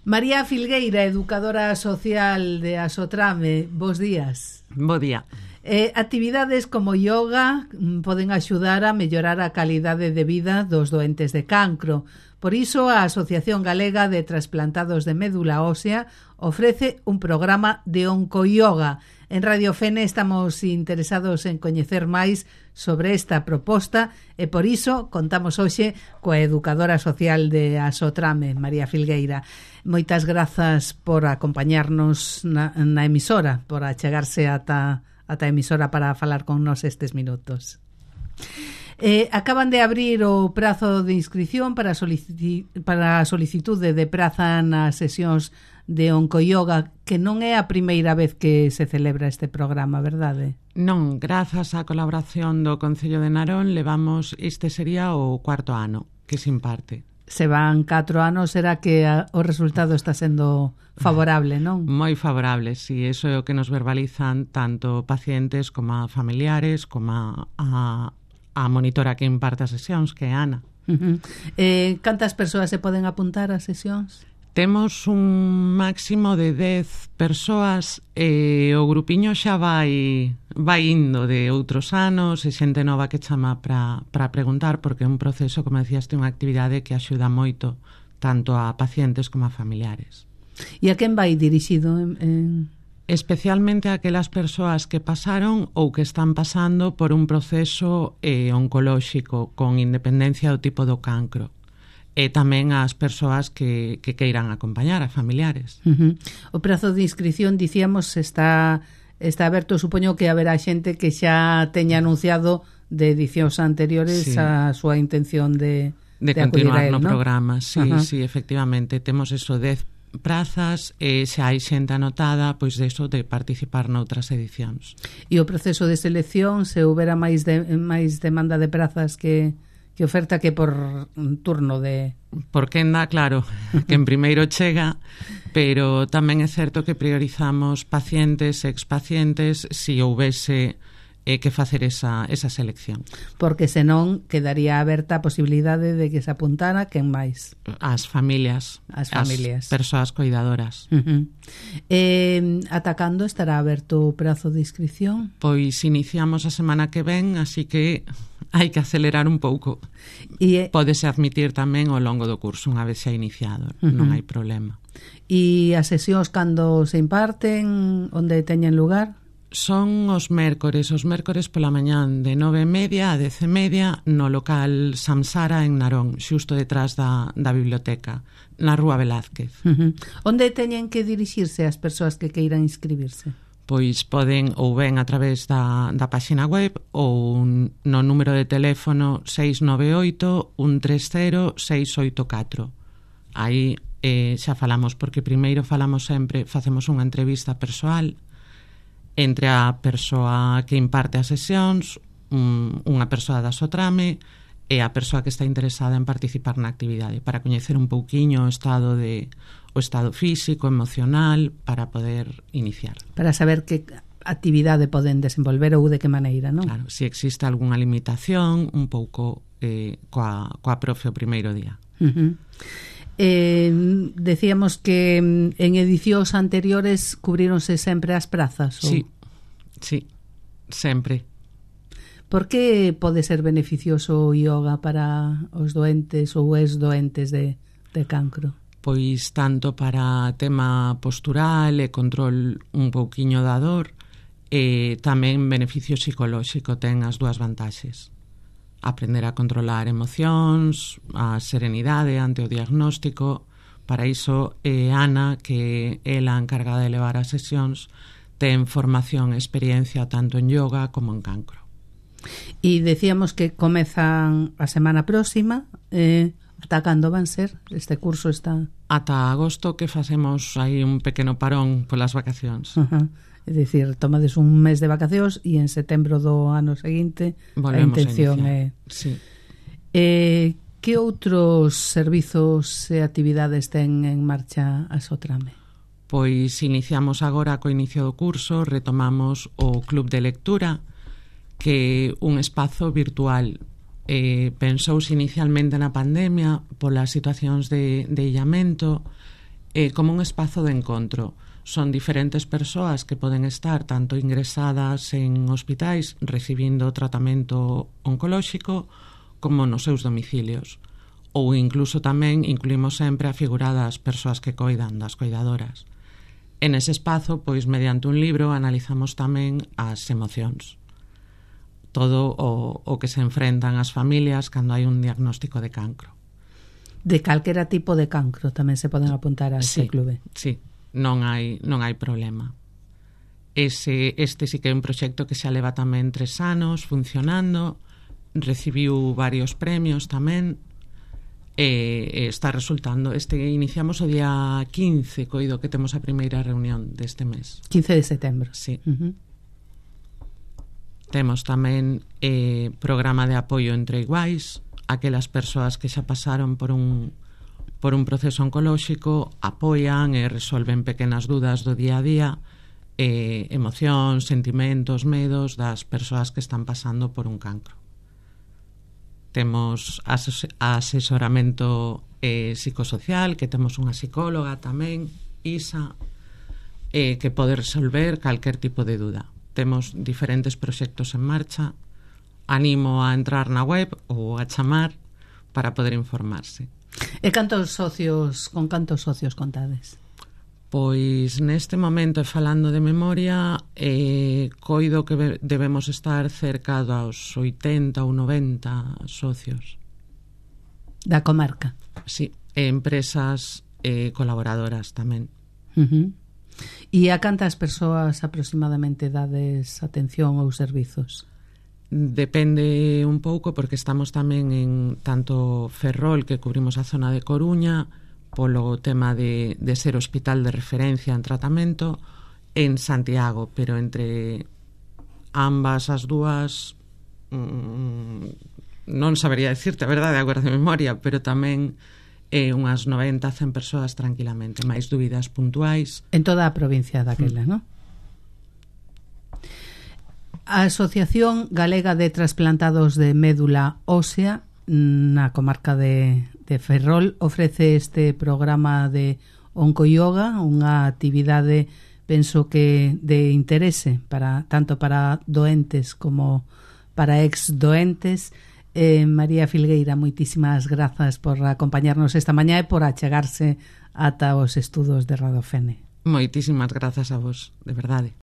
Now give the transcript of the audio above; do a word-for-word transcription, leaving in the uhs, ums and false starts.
María Filgueira, educadora social de Asotrame, bos días. Bo día. Eh, actividades como yoga poden axudar a mellorar a calidade de vida dos doentes de cancro. Por iso, a Asociación Galega de Trasplantados de Médula Ósea ofrece un programa de oncoyoga. En Radio Fene estamos interesados en coñecer máis sobre esta proposta e por iso contamos hoxe coa educadora social de Asotrame, María Filgueira. Moitas grazas por acompañarnos na, na emisora, por achegarse ata, ata a emisora para falar con nos estes minutos. Eh, acaban de abrir o prazo de inscrición para, solici- para a solicitude de praza nas sesións de oncoyoga, que non é a primeira vez que se celebra este programa, verdade? Non, grazas á colaboración do Concello de Narón levamos, este sería o cuarto ano que se imparte. Se van catro anos, será que a, o resultado está sendo favorable, non? Moi favorable, si, eso é o que nos verbalizan tanto pacientes como a familiares, como a, a, a monitora que imparte as sesións, que é Ana. Uh-huh. Eh, cantas persoas se poden apuntar ás sesións? Temos un máximo de dez persoas e o grupiño xa vai vai indo de outros anos e xente nova que chama para para preguntar, porque é un proceso, como decías, unha actividade que axuda moito tanto a pacientes como a familiares. E a quen vai dirixido? En, en... Especialmente a aquelas persoas que pasaron ou que están pasando por un proceso eh, oncolóxico con independencia do tipo do cancro. E tamén as persoas que, que queiran acompañar, a familiares. Uh-huh. O prazo de inscripción, dicíamos, está está aberto. Supoño que haberá xente que xa teña anunciado de edicións anteriores sí. a súa intención de, de, de continuar él, no ¿no? programa. Sí, uh-huh. sí, efectivamente. Temos eso, dez prazas e xa hai xente anotada, pois de eso, de participar noutras edicións. E o proceso de selección, se houbera máis de, máis demanda de prazas que... que oferta que por turno de... Por quenda, claro, que en primeiro chega, pero tamén é certo que priorizamos pacientes e expacientes si houvese eh, que facer esa, esa selección. Porque senón quedaría aberta a posibilidade de que se apuntara quen máis. As familias. As familias. As persoas cuidadoras. Uh-huh. Eh, ata cando estará aberto o prazo de inscripción? Pois iniciamos a semana que ven, así que hai que acelerar un pouco. E pódese admitir tamén ao longo do curso, unha vez xa iniciado, uh-huh. non hai problema. E as sesións cando se imparten, onde teñen lugar? Son os mércores, os mércores pola mañán de nove e media a dez e media no local Samsara en Narón, xusto detrás da, da biblioteca, na Rúa Velázquez. Uh-huh. Onde teñen que dirixirse as persoas que queiran inscribirse? Pois poden ou ben a través da, da páxina web ou no número de teléfono seis nove oito, un tres cero, seis oito catro. Aí eh, xa falamos, porque primeiro falamos sempre, facemos unha entrevista persoal entre a persoa que imparte as sesións, un, unha persoa da Asotrame e a persoa que está interesada en participar na actividade, para coñecer un pouquiño o estado de o estado físico, emocional, para poder iniciar. Para saber que actividade poden desenvolver ou de que maneira, non? Claro, se existe algunha limitación, un pouco eh, coa, coa profe o primeiro día. Uh-huh. Eh, decíamos que en edicións anteriores cubríronse sempre as prazas, ou? Sí, sí, sempre. Por que pode ser beneficioso o yoga para os doentes ou ex doentes de, de cancro? Pois tanto para tema postural e control un pouquiño da dor, e tamén beneficio psicolóxico, ten as dúas vantaxes. Aprender a controlar emocións, a serenidade ante o diagnóstico. Para iso, eh, Ana, que é a encargada de levar as sesións, ten formación e experiencia tanto en yoga como en cancro. E decíamos que comezan a semana próxima, eh, ata cando van ser? Este curso está... Ata agosto, que facemos aí un pequeno parón polas vacacións. Uh-huh. É dicir, tomades un mes de vacacións e en setembro do ano seguinte volvemos a intención a é... Sí. Eh, que outros servizos e actividades ten en marcha a Asotrame? Pois iniciamos agora co inicio do curso, retomamos o Club de Lectura, que é un espazo virtual. Eh, pensouse inicialmente na pandemia polas situacións de, de illamento eh, como un espazo de encontro. Son diferentes persoas que poden estar tanto ingresadas en hospitais recibindo tratamento oncolóxico como nos seus domicilios. Ou incluso tamén incluímos sempre a figura das persoas que coidan, das coidadoras. En ese espazo, pois, mediante un libro, analizamos tamén as emocións. Todo o, o que se enfrentan as familias cando hai un diagnóstico de cancro. De calquera tipo de cancro tamén se poden apuntar a este sí, clube. Sí, non hai, non hai problema. Ese, este sí que é un proxecto que xa leva tamén tres anos funcionando, recibiu varios premios tamén, e, e está resultando. Este iniciamos o día quince, coido que temos a primeira reunión deste mes. quince de setembro. Sí. Uh-huh. Temos tamén eh, programa de apoio entre iguais, aquelas persoas que xa pasaron por un por un proceso oncolóxico, apoian e resolven pequenas dudas do día a día, eh, emocións, sentimentos, medos das persoas que están pasando por un cancro. Temos ases asesoramento eh, psicosocial, que temos unha psicóloga tamén, Isa, eh, que pode resolver calquer tipo de duda. Temos diferentes proxectos en marcha. Animo a entrar na web ou a chamar para poder informarse. E cantos socios, con cantos socios contades? Pois neste momento, falando de memoria, eh, coido que debemos estar cerca dos oitenta ou noventa socios. Da comarca? Sí, e empresas eh, colaboradoras tamén. Uh-huh. E a cantas persoas aproximadamente dades atención ou servizos? Depende un pouco, porque estamos tamén en tanto Ferrol, que cubrimos a zona de Coruña, polo tema de, de ser hospital de referencia en tratamento, en Santiago, pero entre ambas as dúas mmm, non sabería decirte a verdade agora de memoria, pero tamén eh, unhas noventa a cen persoas tranquilamente, máis dúbidas puntuais. En toda a provincia daquela, mm. non? A Asociación Galega de Trasplantados de Médula Ósea na comarca de, de Ferrol ofrece este programa de oncoyoga, unha actividade penso que de interese para tanto para doentes como para ex doentes. eh, María Filgueira, moitísimas grazas por acompañarnos esta mañá e por achegarse ata os estudos de Radofene. Moitísimas grazas a vos, de verdade.